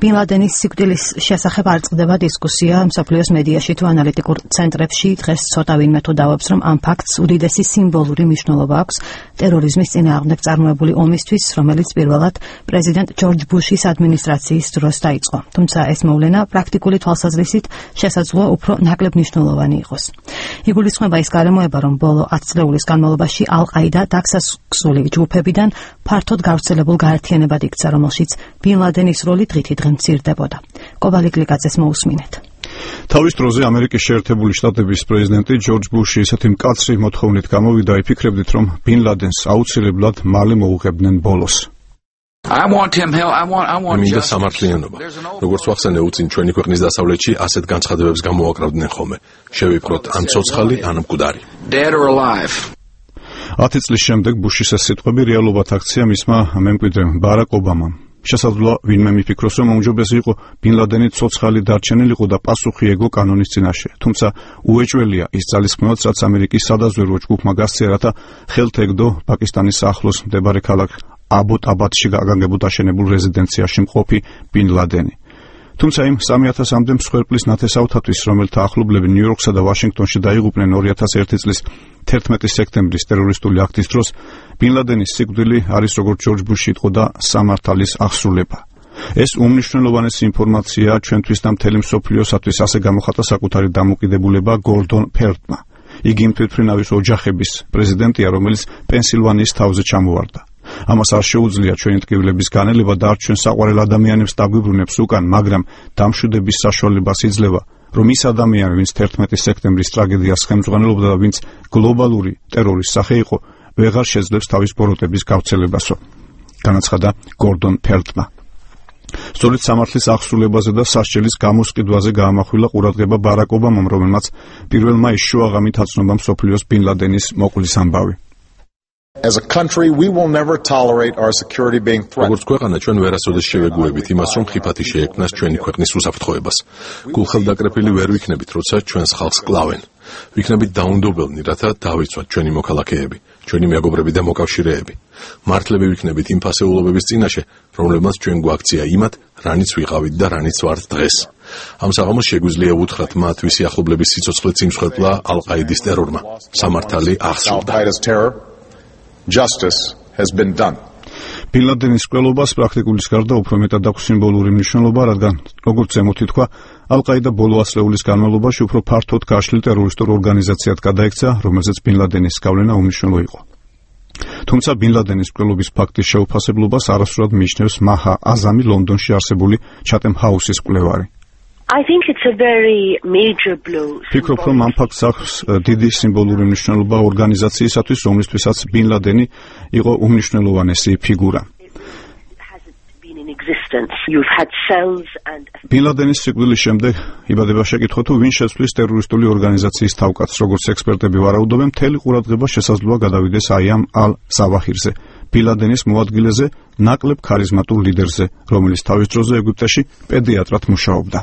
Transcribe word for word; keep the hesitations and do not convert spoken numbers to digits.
ბინ ლადენის სიკვდილის შესახებ არ წყდება დისკუსია მსოფლიოს მედიაში თუ ანალიტიკურ ცენტრებში. დღეს ცოტა ვინმე თუ დავებს, რომ ამ ფაქტს უდიდესი სიმბოლური მნიშვნელობა აქვს ტერორიზმის წინააღმდეგ წარმოებული ომისთვის, რომელიც პირველად პრეზიდენტ ჯორჯ ბუშის ადმინისტრაციის დროს დაიწყო. თუმცა ეს მოვლენა პრაქტიკული თვალსაზრისით შესაძლოა უფრო ნაკლებ მნიშვნელოვანი იყოს. იგულისხმება ის გარემოება, რომ ბოლო ათ წლეულის განმავლობაში ალ-ყაიდა დაქსასკსული ჯგუფებიდან ფართოდ გავრცელებულ გაერთიანებად იქცა, რომელშიც ბინ ლადენის როლი დღითიდღე მცირდებოდა. კობალი გლიკაძეს მოусმინეთ. თავის დროზე ამერიკის შეერთებული შტატების პრეზიდენტი ჯორჯ ბუში ისეთი მკაცრი მოთხოვნით გამოვიდა, იფიქრებდით, რომ ბინ ლადენს აუცილებლად მალე მოუღებდნენ ბოლოს. მინდა სამართლიანობა. როგორც ვახსენე, უწინ ჩვენი ქვეყნის დასავლეთში ასეთ განცხადებებს გამოაკრავდნენ ხოლმე. შევიფროთ ან ცოცხალი, ან მკვდარი. ათი წლის შემდეგ ბუშის ეს სიტყვები რეალობად აქცია მისმა მემკვიდრემ ბარაკ ობამამ. შესაძლოა ვინმე მიფიქროს, რომ უმჯობესი იყო ბინ ლადენი ცოცხალი დარჩენილიყო და პასუხი ეგო კანონის წინაშე. თუმცა უეჭველია ის ძალისხმევაც, რაც ამერიკის სადაზვერვო ჯგუფმა გასცია, რათა ხელთ ეგდო პაკისტანის ახლოს მდებარე ქალაქ აბოტაბადში გაგანგებულ დაშენებულ რეზიდენციაში მყოფი ბინ ლადენი. თუმცა იმ სამი ათასამდე მსხვერპლის ნათესავთათვის, რომელთა ახლობლები ნიუ-იორკსა და ვაშინგტონში დაიღუპნენ ორი ათას ერთი წლის თერთმეტი სექტემბრის ტერორისტული აქტის დროს, ბინ ლადენის სიკვდილი არის, როგორც ჯორჯ ბუში იტყოდა, სამართალის აღსრულება. ეს უმნიშვნელოვანესი ინფორმაციაა ჩვენთვის და მთელი მსოფლიოსათვის, ასე გამოხატა საკუთარი დამოკიდებულება გორდონ ფელდმა. იგი იმ თვითმფრინავის ოჯახების პრეზიდენტია, რომელიც პენსილვანიის თავზე ჩამოვარდა. ამას არ შეუძლია ჩვენი ტკივილების განელება და არ ჩვენ საყვარელ ადამიანებს დაგვიბრუნებს უკან, მაგრამ დამშვიდების საშუალებას იძლევა, რომ ის ადამიანი, ვინც თერთმეტი სექტემბრის ტრაგედიას ხელმძღვანელობდა და ვინც გლობალური ტერორის სახე იყო, ვეღარ შეძლებს თავის ბოროტების გავრცელებასო. განაცხადა გორდონ ფელდმა. სწორედ სამართლის აღსრულებაზე და სასჯელის გამოსყიდვაზე გაამახვილა ყურადღება ბარაკ ობამამ, რომელმაც პირველ მაისს შუაღამით აცნობა მსოფლიოს ბინ ლადენის მოკვლის ამბავი. As a country, we will never tolerate our security being threatened. როგორც ქვეყანა ჩვენ ვერასოდეს შევეგუებით იმას, რომ ხიფათი შეექმნას ჩვენი ქვეყნის უსაფრთხოებას. გულხელდაკრეფილი ვერ ვიქნებით, როცა ჩვენს ხალხს კლავენ. ვიქნებით დაუნდობელნი, რათა დავიცვათ ჩვენი მოქალაქეები, ჩვენი მეგობრები და მოკავშირეები. მართლები ვიქნებით იმ ფასეულობების წინაშე, რომლებმაც ჩვენ გვაქცია იმათ, რანიც ვიყავით და რანიც ვართ დღეს. ამ საღამოს შეგვიძლია უთხრათ მათ, ვისი ახლობლების სიცოცხლეც იმსხვერპლა ალ-ყაიდის ტერორმა. სამართალი აღსრულდა. Justice has been done. ბინ ლადენის მკვლელობას პრაქტიკულის გარდა უფრო მეტად აქვს სიმბოლური მნიშვნელობა, რადგან, როგორც ზემოთ ითქვა, ალ-ყაიდა ბოლო ათწლეულის განმავლობაში უფრო ფართოდ გაშლილ ტერორისტულ ორგანიზაციად გადაიქცა, რომელზეც ბინ ლადენის გავლენა უმნიშვნელო იყო. თუმცა ბინ ლადენის მკვლელობის ფაქტის შეუფასებლობას არასდროს მიიჩნევს მაჰა აზამი, ლონდონში არსებული ჩატემ ჰაუსის მკვლევარი. I think it's a very major blow. ფიქრობ, რომ ამ ფაქტს აქვს დიდი სიმბოლური მნიშვნელობა ორგანიზაციისათვის, რომლისთვისაც ბინ ლადენი იყო უმნიშვნელოვანესი ფიგურა. ბინ ლადენის სიკვდილის შემდეგ იბადება შეკითხვა, თუ ვინ შეცვლის ტერორისტული ორგანიზაციის თავკაცს. როგორც ექსპერტები ვარაუდობენ, მთელი ყურადღება შესაძლოა გადავიდეს აი ამ ალ-ზავაჰირზე, ბინ ლადენის მოადგილეზე, ნაკლებ ქარიზმატულ ლიდერზე, რომელიც თავის დროზე ეგვიპტეში პედიატრად მუშაობდა.